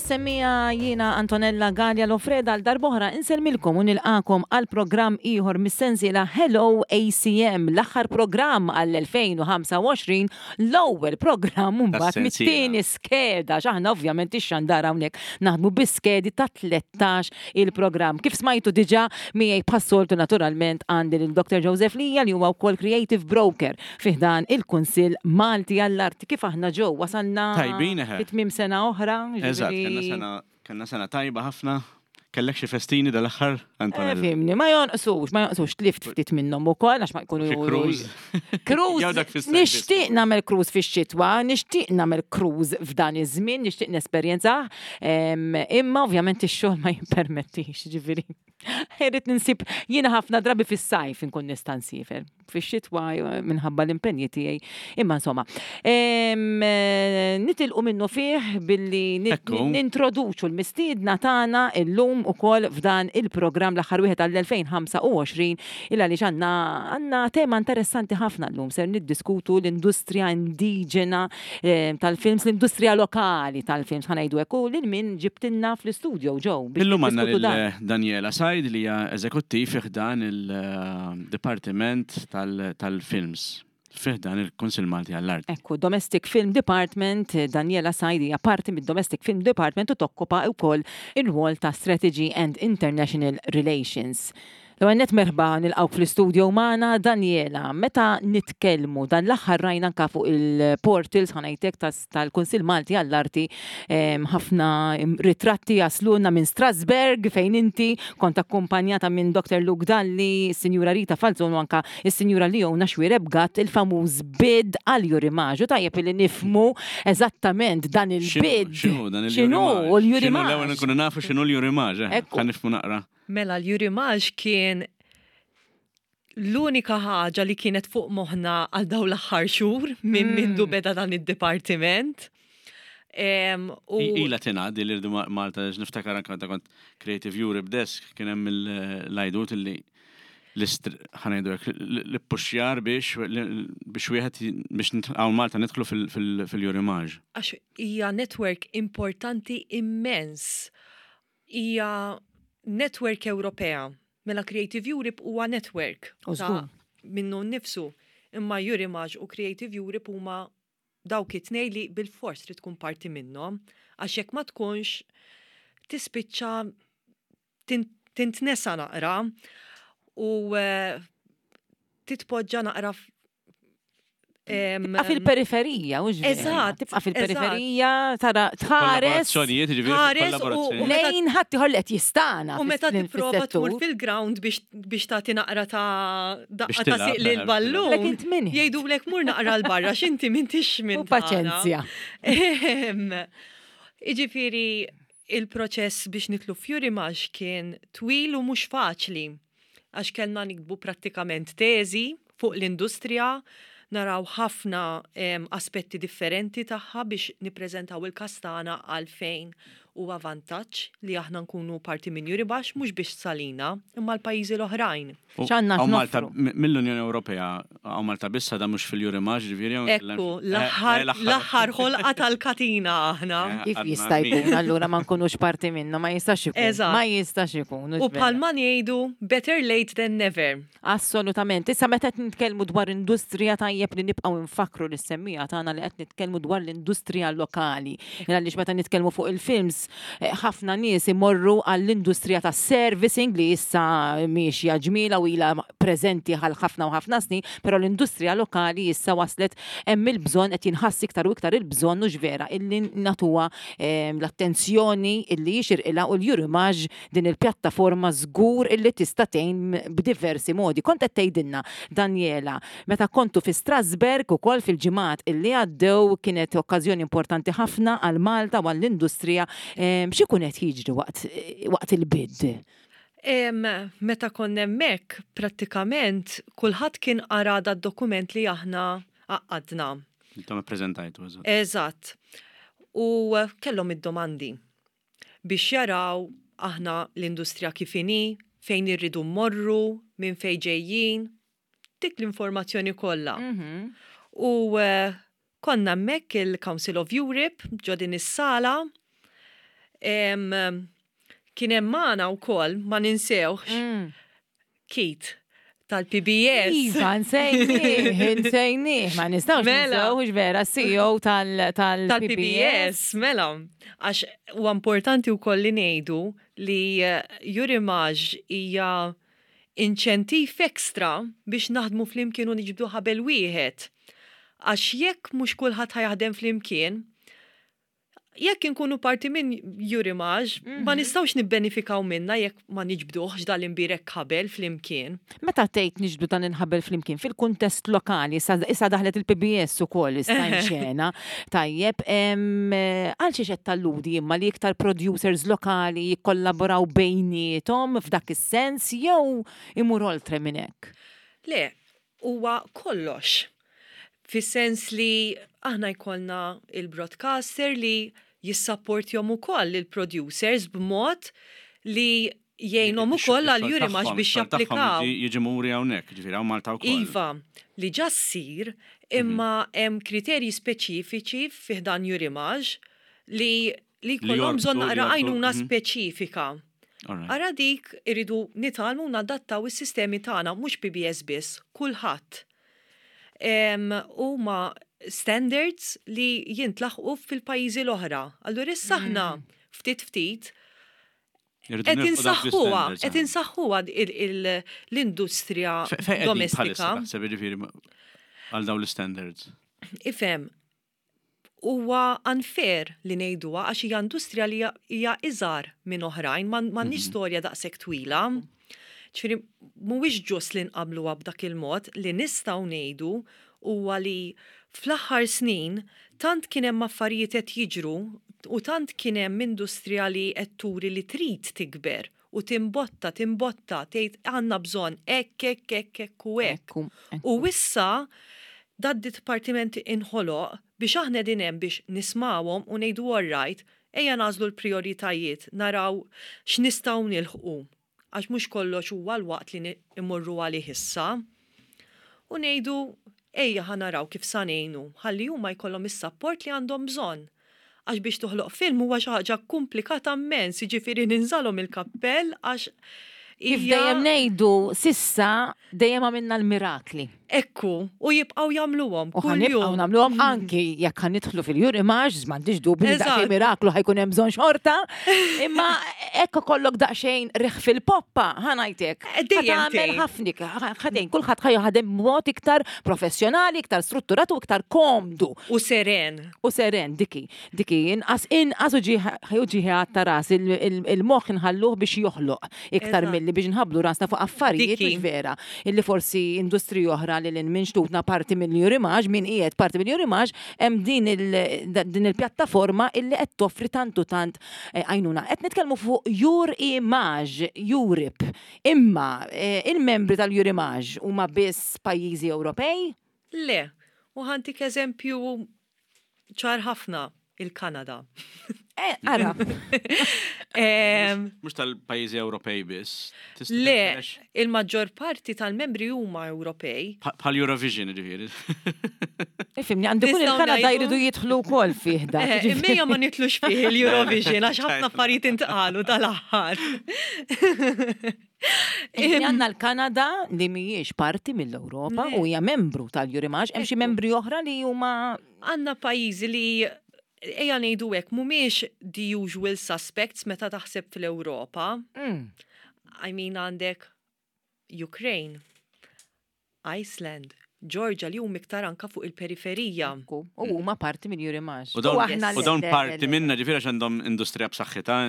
Għeżież semmiegħa jiena Antonella Galea Lofreda għal darb'oħra insellmilkom u nilqagħkom għal programm ieħor mis-sensiela Hello ACM, l-aħħar programm għall-2025, l-ewwel programm mbagħad mit-tieni skeda għax aħna ovvjament ix-xandara hawnhekk naħdmu bi skedi ta' 13 il-programm. Kif smajtu diġà miegħi bħas-soltu naturalment għandi lil Dr. Joseph Lija li huwa wkoll Creative Broker fi ħdan il-Kunsill Malti għall-Arti. Kif aħna Joe? Wasalna Tajbin, eħe. fi tmiem sena oħra, Eżatt, kellna ġifieri. sena kellna sena tajba ħafna. Kellek xi festini dal-aħħar, Eh, Antonella? fimni, ma jonqsux, ma jonqsux, tlift ftit minnhom ukoll għax ma jkunu Xi cruise? Cruise, Jew dak fis-sajf nixtieq nagħmel cruise fix-xitwa, nixtieq nagħmel cruise f'dan iż-żmien, nixtieq nesperjenzah, imma ovvjament ix-xogħol ma jippermettix, ġifieri. Irrid ninsib jiena ħafna drabi fis-sajf inkun nista' nsiefer. Fix-xitwa minħabba l-impenji tiegħi. Imma insomma, nitilqu minnu fih billi nintroduċu l-mistiedna tagħna illum ukoll f'dan il-programm l-aħħar wieħed għall-2025 il għaliex għandna għandna tema interessanti ħafna llum ser niddiskutu l-industrija indiġena tal-films, l-industrija lokali tal-films ħa ngħidu hekk u lil min ġibtilna fl-istudio Joe biex Illum għandna niddiskutu lil dan. Daniela Said li hija eżekuttiv fi ħdan il-Dipartiment tal-Films fi ħdan il-Kunsill Malti għall-Arti. Ekku, Domestic Film Department, Daniela Said hija parti mid-Domestic Film Department u tokkupa wkoll ir-rwol ta' Strategy and International Relations. L-ewwel nett merħba nilqgħuk fl-istudio magħna Daniela. Meta nitkellmu dan l-aħħar rajna anka fuq il-portals ħa ngħidlek tal-Kunsill Malti għall-Arti ħafna ritratti jaslulna minn Strasbourg fejn inti kont akkumpanjata minn Dr. Luke Dalli, is-Sinjura Rita Falzon u anka is-Sinjura Leona Xuereb Gatt il-famuż bid għal Jurimaġ. U tajjeb li nifhmu eżattament dan il-bid. X'inhu dan X'inhu il-Jurimaġ? l-Jurimaġ? L-ewwel nkunu nafu x'inhu l-Jurimaġ, eh, Ekku. ħa nifhmu naqra. Mela l-Jurimaġ kien l-unika ħaġa li kienet fuq moħħna għal dawn l-aħħar xhur minn mindu beda dan id-dipartiment. U Ila tingħad li rridu Malta għax niftakar anke meta kont Creative Europe Desk kien hemm l-għajdut li ħanejdu hekk l-puxjar biex biex wieħed biex hawn Malta nidħlu fil-Jurimaġ. Għax hija network importanti immens. Hija network Ewropea. Mela Creative Europe huwa network ta' minnu nnifsu. Imma Eurimage u Creative Europe huma dawk it-tnej li bilfors trid tkun parti minnhom, għax jekk ma tkunx tispiċċa tintnesa naqra u eh, titpoġġa naqra Tibqa' fil-periferija, u Eżatt. Tibqa' fil-periferija, tara tħares. Tħares u lejn ħadd ieħor li qed jistana. U meta tipprova tmur fil-ground biex tagħti naqra ta' daqqa ta' siq lil ballun. Lek int min? Jgħidulek mur naqra l barra x'inti m'intix minn. U paċenzja. Jiġifieri il-proċess biex nitlu f'Jurimax kien twil u mhux faċli. Għax kellna niktbu prattikament teżi fuq l-industrija, naraw ħafna aspetti differenti tagħha biex nippreżentaw il-każ tagħna għalfejn huwa vantaġġ li aħna nkunu parti minn Euribax mhux biss għalina imma l-pajjiżi l-oħrajn. X'għandna Hawn Malta x'noffru? mill-Unjoni Ewropea, hawn Malta biss għadha mhux fil-Eurimax ġifieri hawn Ekku, l-aħħar l-aħħar ħolqa tal-katina aħna. Kif jista' jkun allura ma nkunux parti minnu, ma jistax ikun. Eżatt. Ma jistax ikun. U bħalma ngħidu better late than never. Assolutament. Issa meta qed nitkellmu dwar industrija tajjeb li nibqgħu nfakkru lis-semmiegħa tagħna li qed nitkellmu dwar l-industrija lokali. Għaliex meta nitkellmu fuq il-films, eh, ħafna nies imorru għall-industrija tas-servicing li issa miexja ġmiela u ilha preżenti għal ħafna u ħafna snin, però l-industrija lokali issa waslet hemm il-bżonn qed jinħass iktar u iktar il-bżonn hux vera illi nagħtuha eh, l-attenzjoni illi jixirqilha u l-Eurimage Din il-pjattaforma żgur illi tista' tgħin b'diversi modi. Kont qed tgħidilna, Daniela, meta kontu fi Strasbourg ukoll fil-ġimgħat illi għaddew kienet okkażjoni importanti ħafna għal Malta u għall-industrija. X'ikun qed jiġri waqt waqt il-bid? Meta konna hemmhekk, prattikament kulħadd kien qara dad-dokument li aħna għaqqadna. Intom ippreżentajtu, eżatt. Eżatt. U kellhom id-domandi. biex jaraw aħna l-industrija kif inhi, fejn irridu mmorru, minn fejn ġejjin, dik l-informazzjoni kollha. U konna hemmhekk il-Council of Europe ġo din is-sala. Kien hemm magħna wkoll ma ninsewx Keith tal-PBS. Iva, nsejnih, nsejnih, ma nistgħux Mela. ninsewx vera CEO tal-PBS. Tal-PBS, mela. Għax huwa importanti wkoll li ngħidu li Eurimages hija inċentiv ekstra biex naħdmu flimkien u niġbdu ħabel wieħed. Għax jekk mhux kulħadd ħa jaħdem flimkien, jekk inkunu parti minn Eurimages, ma nistgħux nibbenifikaw minna jekk ma niġbduhx dal-imbirek ħabel flimkien. Meta tgħid niġbdu dan il-ħabel flimkien fil-kuntest lokali, issa daħlet il-PBS ukoll issa xena, tajjeb, għal xiex qed talludi imma li iktar producers lokali jikkollaboraw bejniethom f'dak is-sens jew imur oltre minn hekk? Le, huwa kollox. Fis-sens li aħna jkollna il-broadcaster li jissapportjom ukoll il-producers b'mod li jgħinhom ukoll għal Eurimages biex japplikaw. Jiġi muri hawnhekk, ġifieri hawn Malta wkoll. Iva, li ġa ssir, imma hemm kriterji speċifiċi fi ħdan Eurimages li li jkollhom bżonn naqra għajnuna speċifika. Ara dik iridu nitgħallmu nadattaw is-sistemi tagħna mhux PBS biss, kulħadd. Huma standards li jintlaħqu fil-pajjiżi l-oħra. Allura issa aħna ftit ftit qed insaħħuha, qed insaħħuha l-industrija domestika. Għal dawn l-standards. Ifhem, huwa unfair li ngħiduha għax hija industrija li hija iżgħar minn oħrajn, m'għandniex storja daqshekk twila. Ġifieri mhuwiex ġust li nqabbluha b'dak il-mod. Li nistgħu ngħidu huwa li fl-aħħar snin tant kien hemm affarijiet qed jiġru u tant kien hemm industrija li qed turi li trid tikber u timbotta, timbotta, tgħid għandna bżonn hekk, hekk, hekk, hekk u hekk. U issa dad-dipartiment inħoloq biex aħna qegħdin hemm biex nismawhom u ngħidu all right, ejja nagħżlu l-prijoritajiet, naraw x'nistgħu nilħqu. Għax mhux kollox huwa l-waqt li immorru għalih issa. U ngħidu ejja ħa naraw kif sa ngħinu, ħalli huma jkollhom is-sapport li għandhom bżonn. Għax biex toħloq film huwa xi ħaġa komplikata immens, jiġifieri ninżalhom il-kappell għax Kif dejjem ngħidu s'issa dejjem għamilna l-mirakli. Ekku, u jibqgħu jagħmluhom. U ħa nibqgħu nagħmluhom anki jekk ħa nidħlu fil-Eurimages, m'għandix dubju li daqsxejn miraklu ħa jkun hemm bżonn xorta. Imma hekk ikollok daqsxejn riħ fil-poppa, ħa ngħidlek. Dejjem tagħmel ħafna, ħadejn kulħadd ħa jaħdem b'mod iktar professjonali, iktar strutturat u iktar komdu. U seren. U seren, diki. Diki, inqas inqas u ġieħi ta' ras il-moħħ nħalluh biex joħloq iktar milli biex nħabblu rasna fuq affarijiet mhux vera. Illi forsi industriji oħra li lil minn xtutna parti mill-Eurimages, min qiegħed parti mill-Eurimages, hemm din il-pjattaforma illi qed toffri tant u tant għajnuna. Qed nitkellmu fuq Eurimages Europe. Imma il-membri tal-Eurimages huma biss pajjiżi Ewropej? Le, u ħa ntik eżempju ċar ħafna, il-Kanada. Ara. Mhux tal-pajjiżi Ewropej biss. Le, il-maġġor parti tal-membri huma Ewropej. Bħal Eurovision, ġifieri. Ifhimni, għandu kun il-Kanada jridu jidħlu wkoll fih da. Imma ma nitlux fih il-Eurovision għax ħafna affarijiet intqalu dal-aħħar. Għandna l-Kanada li mhijiex parti mill-Ewropa u hija membru tal-Eurimages, hemm xi membri oħra li huma Għandna pajjiżi li ejja ngħidu hekk mhumiex the usual suspects meta taħseb fl-Ewropa. I mean għandek Ukraine, Iceland, Georgia li huma iktar anka fuq il-periferija. U huma parti minn Eurimages. U dawn parti minna ġifieri għax għandhom industrija b'saħħitha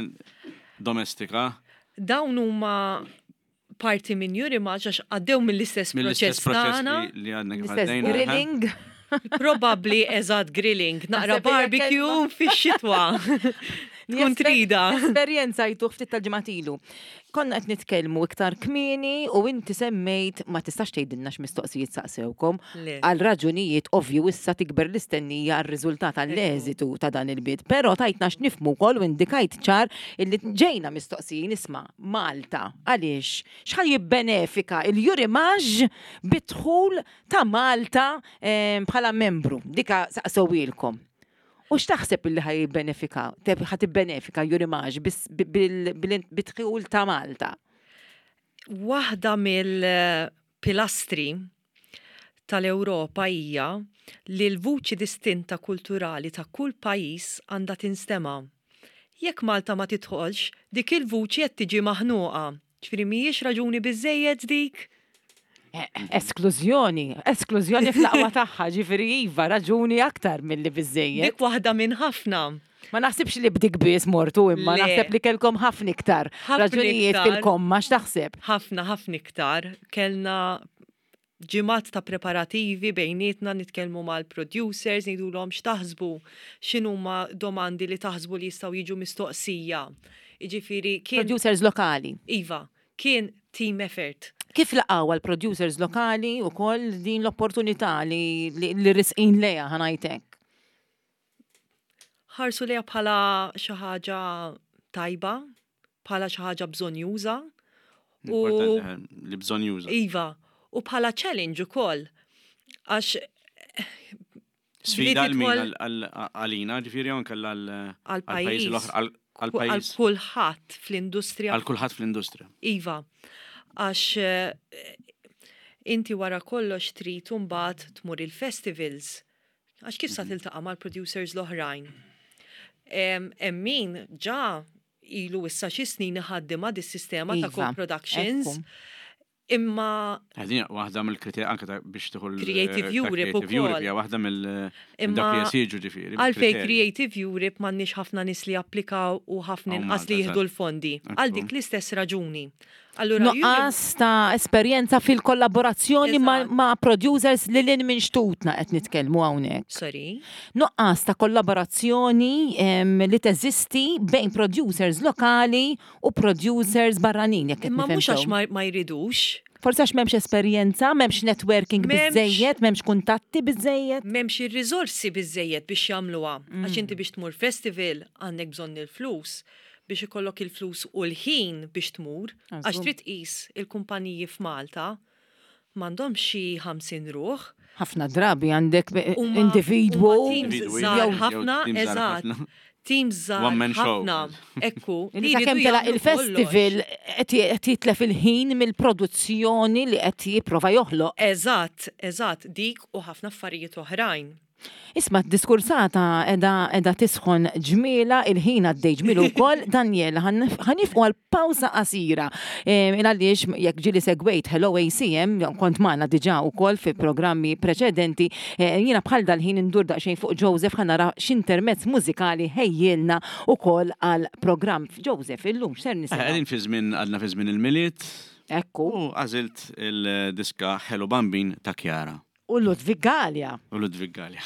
domestika. Dawn huma parti minn Eurimages għax għaddew mill-istess proċess tagħna. Li għadna kif L-istess għaddejna. grilling. Probably eżatt grilling, naqra Naħseb hija barbecue kelma. fix-xitwa. Tkun trida. Esperjenza jtuħ ftit tal-ġimgħat ilu. Konna qed nitkellmu iktar kmieni u inti semmejt ma tistax tgħidilna x'mistoqsijiet saqsewkom Le. għal raġunijiet ovvju issa tikber l-istennija għar-riżultat għall-eżitu ta' dan il-bid. Però tajtna x'nifhmu wkoll u indikajt ċar illi ġejna mistoqsijin isma' Malta għaliex x'ħa jibbenefika il-Eurimages bidħul ta' Malta bħala membru. Dika saqsewilkom. U x'taħseb illi ħa jibbenefika, ħa tibbenefika Eurimages bid-dħul ta' Malta? Waħda mill-pilastri tal-Ewropa hija li l-vuċi distinta kulturali ta' kull pajjiż għandha tinstema'. Jekk Malta ma tidħolx, dik il-vuċi qed tiġi maħnuqa. Ġifieri mhijiex raġuni biżżejjed dik? Esklużjoni, esklużjoni fl-aqwa tagħha, ġifieri iva, raġuni aktar milli biżżejjed. Dik waħda minn ħafna. Ma naħsibx li b'dik biss mortu imma naħseb li kellkom ħafna iktar raġunijiet fil-komma x'taħseb? Ħafna, ħafna iktar. Kellna ġimgħat ta' preparativi bejnietna nitkellmu mal-producers, ngħidulhom x'taħsbu, x'inhuma domandi li taħsbu li jistgħu jiġu mistoqsija. Jiġifieri kien. Producers lokali. Iva, kien team effort. Kif laqgħuha l-producers lokali wkoll din l-opportunità li li risqin lejha ħa ngħid hekk? Ħarsu lejha bħala xi ħaġa tajba, bħala xi ħaġa bżonjuża. U li bżonjuża. Iva, u bħala challenge ukoll. Għax Sfida għal min għalina, ġifieri anke għal-pajjiż l-oħra, għal kulħadd fl-industrija. Għal kulħadd fl-industrija. Iva, għax eh, inti wara kollox trid imbagħad tmur il-festivals Għax kif sa mhm. tiltaqa' mal-producers l-oħrajn? Hemm min ġa ilu issa xi snin iħaddimha dis-sistema ta' iva, co-productions. Imma. Għadin waħda mill-kriterji anke ta' biex tieħu Creative eh, Europe ukoll. Hija waħda mill dak li jesiġu ġifieri. Għalfejn Creative Europe m'għandniex ħafna nies li japplikaw u ħafna inqas li jieħdu l-fondi. Għal dik l-istess raġuni. Allura Nuqqas ta' esperjenza fil-kollaborazzjoni ma' producers li lil minn xtutna qed nitkellmu hawnhekk. Sorry. Nuqqas ta' kollaborazzjoni li teżisti bejn producers lokali u producers barranin jekk qed Imma mhux għax ma jridux. Forsi għax m'hemmx esperjenza, m'hemmx networking biżżejjed, m'hemmx kuntatti biżżejjed. M'hemmx ir-riżorsi biżżejjed biex jagħmluha. Għax inti biex tmur festival għandek bżonn il-flus. biex ikollok il-flus u l-ħin biex tmur, għax trid tqis il-kumpaniji f'Malta m'għandhomx xi 50 ruħ. Ħafna drabi għandek individwu. Teams żgħar ħafna, eżatt. Teams żgħar ħafna. Ekku. Li sakemm telaq il-festival qed jitlef il-ħin mill-produzzjoni li qed jipprova joħloq. Eżatt, eżatt, dik u ħafna affarijiet oħrajn. Isma' d-diskursata edha edha tisħon ġmiela, il-ħin għaddej ġmielu wkoll. Daniel, ħa nifqu għal pawża qasira. Il għaliex jekk ġieli segwejt Hello ACM, kont magħna diġà wkoll fi programmi preċedenti, jiena bħal dal-ħin indur daqsxejn fuq Joseph ħa nara x'intermezz mużikali ħejjielna wkoll għall-programm. Joseph, illum x'ser nisimgħu? Qegħdin fi żmien għadna fi żmien il-Milied. Ekku. U għażilt il-diska Hello Bambin ta' Chiara. U Ludwig Galea. U Ludwig Galea.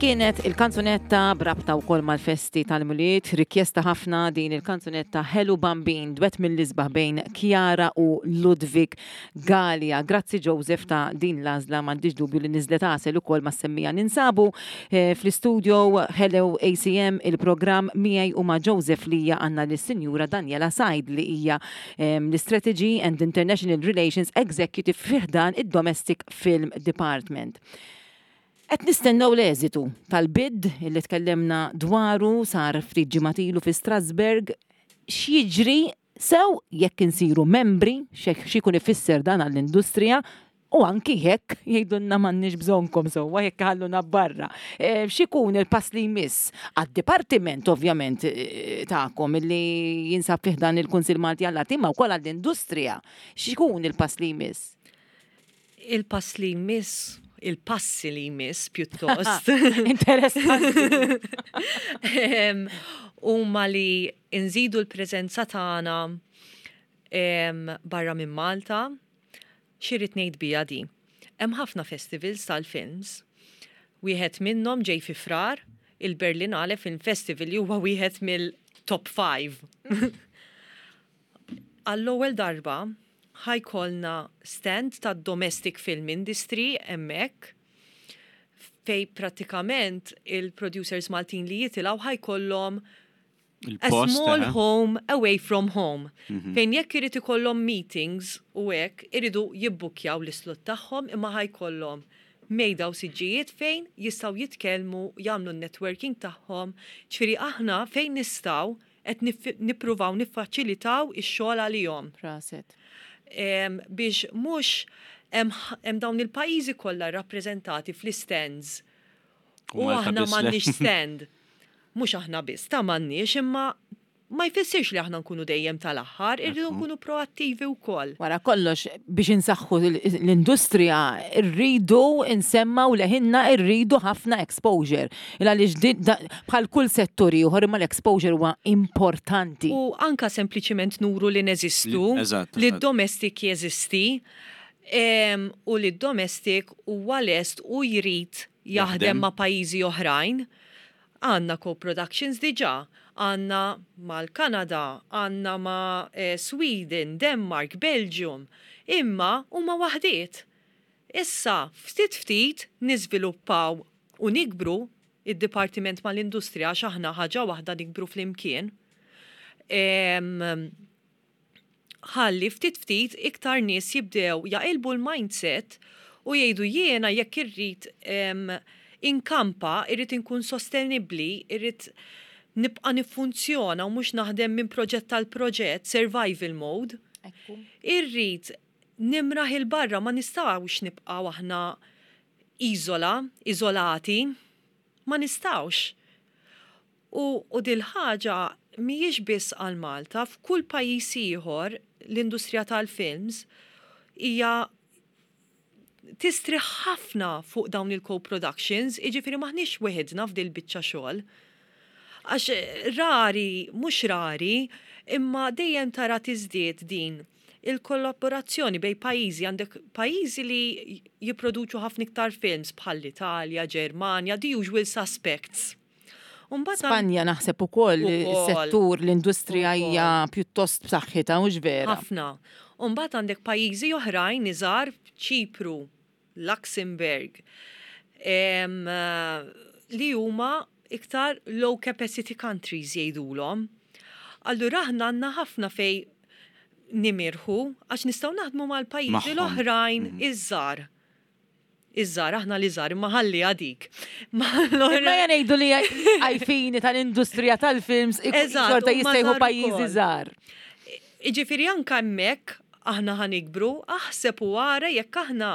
Dik kienet il-kanzunetta b'rabta wkoll mal-festi tal-Milied, rikjesta ħafna din il-kanzunetta Ħelu Bambin, dwett mill-isbaħ bejn Chiara u Ludwig Galea. Grazzi Joseph ta' din l-għażla, m'għandix dubju li niżlet għasel ukoll mas-semmiegħa. Ninsabu eh, fl-istudio Hello ACM il-programm miegħi u ma' Joseph Lija għandna lis-Sinjura Daniela Said li hija ehm, l-Strategy and International Relations Executive fi ħdan id-Domestic Film Department. Qed nistennew l-eżitu tal-bid li tkellimna dwaru sar ftit ġimgħat ilu fi Strasbourg. X'jiġri sew jekk insiru membri, x'ikun ifisser dan għall-industrija u anki jekk jgħidulna m'għandniex bżonnkom sewwa jekk iħalluna barra. Eh, x'ikun il-pass li jmiss għad-dipartiment ovvjament eh, tagħkom li jinsab fih dan il-Kunsill Malti għall-Arti imma wkoll għall-industrija. X'ikun il-pass li jmiss? Il-pass li jmiss, il-passi li jmiss pjuttost. Interessanti. Huma li nżidu l-preżenza tagħna barra minn Malta. Xi rrid ngħid biha di? Hemm ħafna festivals tal-films. Wieħed minnhom ġej fi Frar, il-Berlinale Film Festival li huwa wieħed mill-top 5. Għall-ewwel darba ħa jkollna stand ta' domestic film industry hemmhekk fej pratikament il-producers Maltin li jitilgħu ħa jkollhom a small home away from home. Mhm. Fejn jekk irid ikollhom meetings u hekk iridu jibbukjaw l-islot tagħhom imma ħa jkollhom mejda u siġġijiet fejn jistgħu jitkellmu, jagħmlu n-networking tagħhom. Ġifieri aħna fejn nistgħu qed nippruvaw niffaċilitaw ix-xogħol għalihom. Prosit. Biex mhux hemm dawn il-pajjiżi kollha rappreżentati fl-istands u aħna m'għandniex stand. Mhux aħna biss, ta' m'għandniex imma ma jfissirx li aħna nkunu dejjem tal-aħħar, irridu nkunu proattivi wkoll. Wara kollox, biex insaħħu l-industrija, rridu nsemmgħu leħinna, rridu ħafna exposure. Il għaliex bħal kull settur ieħor imma l-exposure huwa importanti. U anka sempliċiment nuru li neżistu, li d-domestic jeżisti, u li d-domestic huwa lest u jrid jaħdem ma' pajjiżi oħrajn. Għandna co-productions diġà, għandna mal-Kanada, għandna ma' eh, Sweden, Denmark, Belgium, imma huma waħdiet. Issa, ftit ftit niżviluppaw u nikbru id-Dipartiment mal-Industrija għax aħna ħaġa waħda nikbru flimkien. Ħalli ftit ftit iktar nies jibdew jaqilbu l-mindset u jgħidu jiena jekk irrid inkampa, irrid inkun sostenibbli, irrid nibqa' niffunzjona u mhux naħdem minn proġett għal proġett, survival mode. Irrid nimraħ 'il barra ma nistgħux nibqgħu aħna iżola, iżolati, ma nistgħux. U, u dil-ħaġa mhijiex biss għal Malta, f'kull pajjiż ieħor l-industrija tal-films hija tistrieħ ħafna fuq dawn il-co-productions, jiġifieri m'aħniex weħidna f'dil biċċa xogħol. Għax rari, mhux rari, imma dejjem tara tiżdied din il-kollaborazzjoni bejn pajjiżi, għandek pajjiżi li jipproduċu ħafna iktar films bħal l-Italja, Ġermanja, the usual suspects. Spanja naħseb ukoll is-settur l-industrija hija pjuttost b'saħħitha mhux vera. Ħafna. U mbagħad għandek pajjiżi oħrajn iżgħar, Ċipru, Luxembourg, li huma iktar low capacity countries jgħidulhom. Allura aħna għandna ħafna fej nimirħu għax nistgħu naħdmu mal-pajjiżi l-oħrajn iż-żgħar. Iż-żgħar, aħna li żgħar, imma ħalli għadik. Imma ngħidu li għajfini tal-industrija tal-films xorta jistejħu pajjiżi żgħar. Jiġifieri anke hemmhekk aħna ħa nikbru, aħseb u ara jekk aħna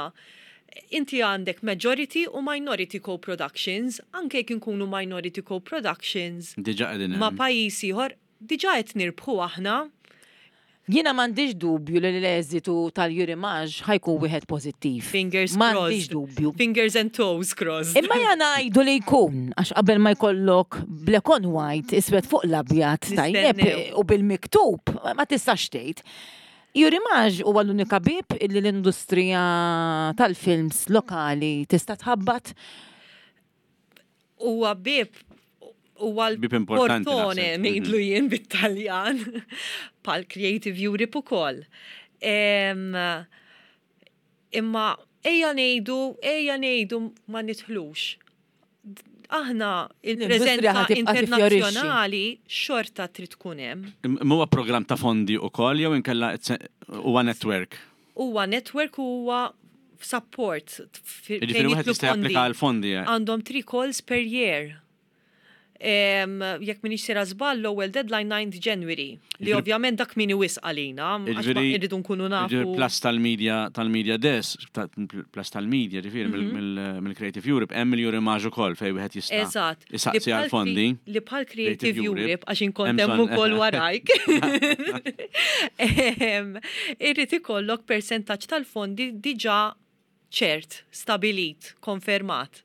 inti għandek majority u minority co-productions, anke jekk inkunu minority co-productions ma' pajjiż ieħor, diġà qed nirbħu aħna. Jiena m'għandix dubju li l-eżitu tal-Eurimages ħa jkun wieħed pożittiv. Fingers crossed. M'għandix dubju. Fingers and toes crossed. Imma ja ngħidu li jkun, għax qabel ma jkollok black on white, iswed fuq l-abjad, tajjeb, u bil-miktub, ma tistax tgħid. Eurimages huwa l-unika bieb li l-industrija tal-films lokali tista' tħabbat? Huwa bieb huwa l-portone ngħidlu jien bit-Taljan pal Creative Europe ukoll. Imma ejja ngħidu, ejja ngħidu ma nidħlux. Aħna il-preżenza internazzjonali xorta trid tkun hemm. Imma huwa programm ta' fondi wkoll jew inkella huwa network? Huwa network u huwa support. Jiġifieri wieħed jista' japplika għal fondi. Għandhom 3 calls per year. Jekk minix sejra żball l-ewwel deadline 9th January, li ovvjament dak kmieni wisq għalina, għax irridu nkunu nafu. Plus tal-media, tal-media desk, plus tal-media, ġifieri mill-Creative Europe, hemm il-Eurimage ukoll fejn wieħed jista' Eżatt. Isaqsi għal fondi. Li bħal Creative Europe, għax inkont hemm ukoll warajk. Irrid ikollok persentaġġ tal-fondi diġà ċert, stabilit, konfermat.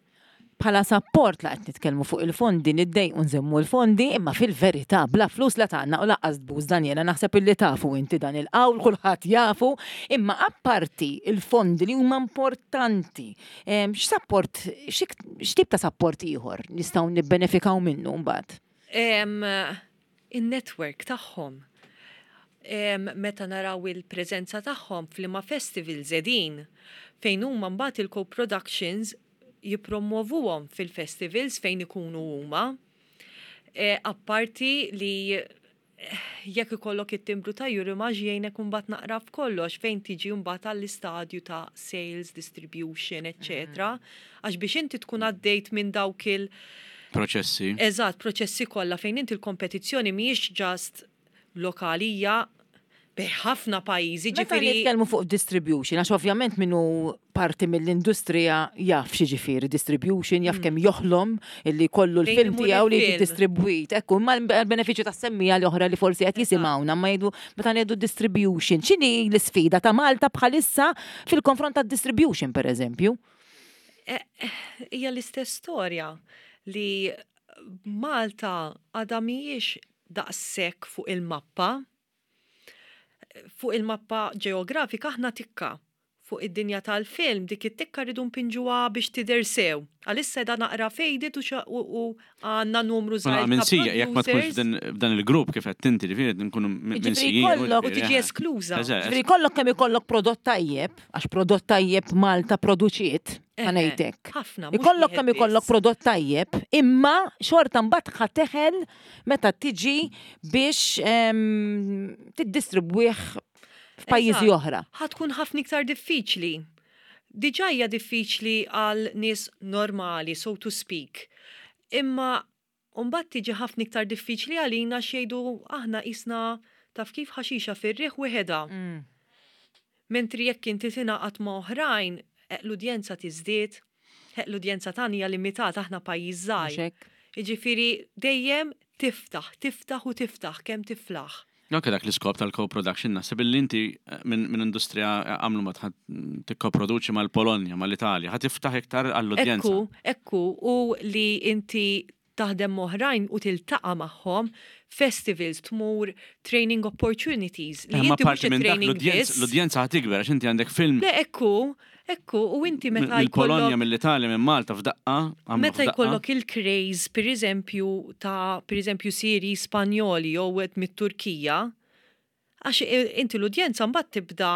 Bħala sapport la qed nitkellmu fuq il-fondi niddejqu nżommu l-fondi imma fil-verità bla flus la tgħannaq u lanqas tbus Daniela naħseb illi tafu inti dan il-qawl kulħadd jafu imma apparti l-fondi li huma importanti x'sapport x'tip ta' sapport ieħor nistgħu nibbenefikaw minnu mbagħad? In-network tagħhom. Meta naraw il-preżenza tagħhom f'liema festivals qegħdin, fejn huma mbagħad il-co-productions jippromwovuhom fil-festivals fejn ikunu huma. Apparti li jekk ikollok it-timbru ta' Eurimage jgħinek imbagħad naqra f'kollox fejn tiġi mbagħad għall-istadju ta' sales, distribution, eċċetera. Għax biex inti tkun għaddejt minn dawk il- Proċessi. Eżatt, proċessi kollha fejn inti l-kompetizzjoni mhijiex just lokali hija bejn ħafna pajjiżi, Meta ġifieri. nitkellmu fuq distribution, għax ovvjament min hu parti mill-industrija jaf x'jiġifieri distribution, jaf kemm joħlom illi jkollu Fejn l-film imur tiegħu li jiġi il-film. distribwit. Ekku, imma l-benefiċċju tas-semmiegħa l-oħra li forsi qed jisimgħuna ma jgħidu meta ngħidu distribution, x'inhi l-isfida ta' Malta bħalissa fil-konfront tad-distribution pereżempju? Hija l-istess storja li Malta għadha mhijiex daqshekk fuq il-mappa. Fuq il-mappa ġeografika aħna tikka. Fuq id-dinja tal-film dik it-tikka rridu npinġuha biex tidher sew. Għalissa qiegħda naqra faded u għandna numru żgħir ta' Minsija, jekk ma tkunx producers. f'dan il-grupp kif qed inti, ġifieri nkunu minsijin. Ġifieri U tiġi eskluża. Ġifieri jkollok kemm ikollok prodott tajjeb, għax prodott tajjeb Malta produċiet, ħa ngħid hekk. Ħafna. mhux Ikollok wieħed kemm ikollok biss. prodott tajjeb, imma xorta mbagħad ħa teħel meta tiġi biex tiddistribwih f'pajjiżi Eżatt. oħra. Ħa tkun ħafna iktar diffiċli. Diġà hija diffiċli għal nies normali, so to speak. Imma mbagħad tiġi ħafna iktar diffiċli għalina x'jgħidu aħna qisna taf kif ħaxixa fir-riħ weħedha. Mentri jekk inti tingħaqad ma' oħrajn, l-udjenza tiżdied, l-udjenza tagħna hija limitata aħna pajjiż żgħir. Mhux hekk? Jiġifieri dejjem tiftaħ, tiftaħ u tiftaħ kemm tiflaħ. Anke dak l-iskop tal-co-production naħseb illi inti minn industrija għamlu ma tikkoproduċi mal-Polonja, mal-Italja, ħa tiftaħ iktar għall-udjenza. Ekku, ekku, u li inti taħdem m'oħrajn u tiltaqa' magħhom, festivals, tmur, training opportunities. Li Imma inti mhux parti minn dak training biss. l-udjenza ħa tikber għax inti għandek film Le, ekku, ekku, u inti meta mill-Polonja, jkollok mill-Italja, minn Malta f'daqqa, għamlu Meta f'daqqa. jkollok il-craze, per eżempju, ta' per eżempju seri Spanjoli jew wieħed mit-Turkija, għax inti l-udjenza mbagħad tibda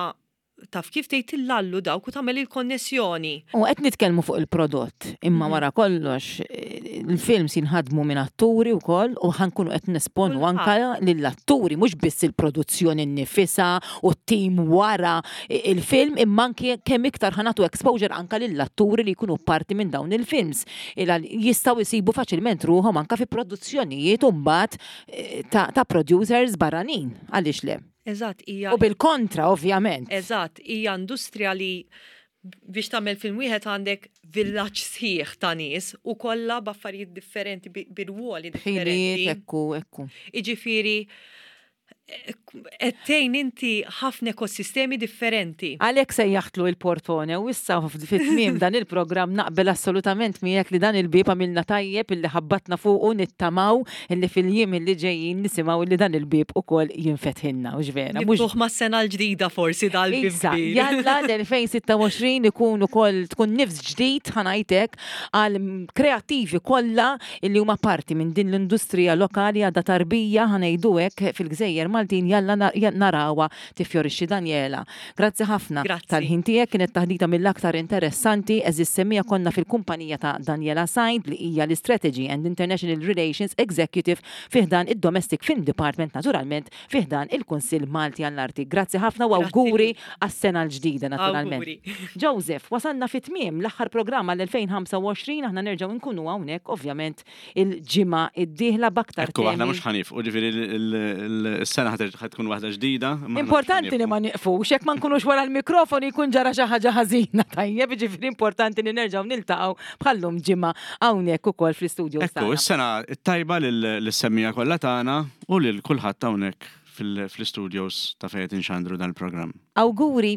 taf kif tgħid tillallu dawk u tagħmel il-konnessjoni. U qed nitkellmu fuq il-prodott, imma wara kollox il-films jinħadmu minn atturi wkoll u ħankunu qed nesponu anka lill-atturi, mhux biss il-produzzjoni nnifisha u t-tim wara il-film, imma anki kemm iktar ħanatu exposure anka lill-atturi li jkunu parti minn dawn il-films. Jistgħu jsibu faċilment ruħhom anka fi produzzjonijiet u mbagħad ta' producers barranin, għaliex le? Eżatt, hija. U bil-kontra, ovvjament. Eżatt, hija industrija li biex tagħmel film wieħed għandek villaġġ sħiħ ta' nies u kollha b'affarijiet differenti, bi rwoli differenti. Ħiliet, ekku, ekku. Jiġifieri, Qed tgħin inti ħafna ekosistemi differenti. Għalhekk sejjaħtlu il-portone u issa fit-tmiem dan il-programm naqbel assolutament miegħek li dan il-bieb għamilna tajjeb illi ħabbatna fuqu nittamaw illi fil-jiem illi ġejjin nisimgħu illi dan il-bieb ukoll jinfetħilna, hux vera? Mhux mas-sena l-ġdida forsi dal-bieb. Issa, jalla l-2026 ikun ukoll tkun nifs ġdid ħa ngħid hekk għal kreattivi kollha illi huma parti minn din l-industrija lokali għadha tarbija ħa ngħidu hekk fil-gżejjer Maltin jalla narawha tiffjorixxi Daniela. Grazzi ħafna tal-ħin tiegħek kienet taħdita mill-aktar interessanti għeżież semmiegħa konna fil-kumpanija ta' Daniela Said li hija l-Istrategy and International Relations Executive fi ħdan id-Domestic Film Department naturalment fi ħdan il-Kunsill Malti għall-Arti. Grazzi ħafna u awguri għas-sena l-ġdida naturalment. Joseph, wasalna fi tmiem l-aħħar programm għall-2025, aħna nerġgħu nkunu hawnhekk ovvjament il-ġimgħa d-dieħla b'aktar Ekku, aħna mhux ħanifqu, ġifieri s-sena ħa tkun waħda ġdida. Importanti li ma nieqfux, jekk ma nkunux wara l-mikrofon jkun ġara xi ħaġa ħażina tajjeb, ġifieri importanti li nerġgħu niltaqgħu bħallum ġimgħa hawnhekk ukoll fl-istudio. Ekku, is-sena t-tajba lis-semmiegħa kollha tagħna u lil kulħadd hawnhekk fl-istudios ta' fejn qed inxandru dan il-programm. Awguri!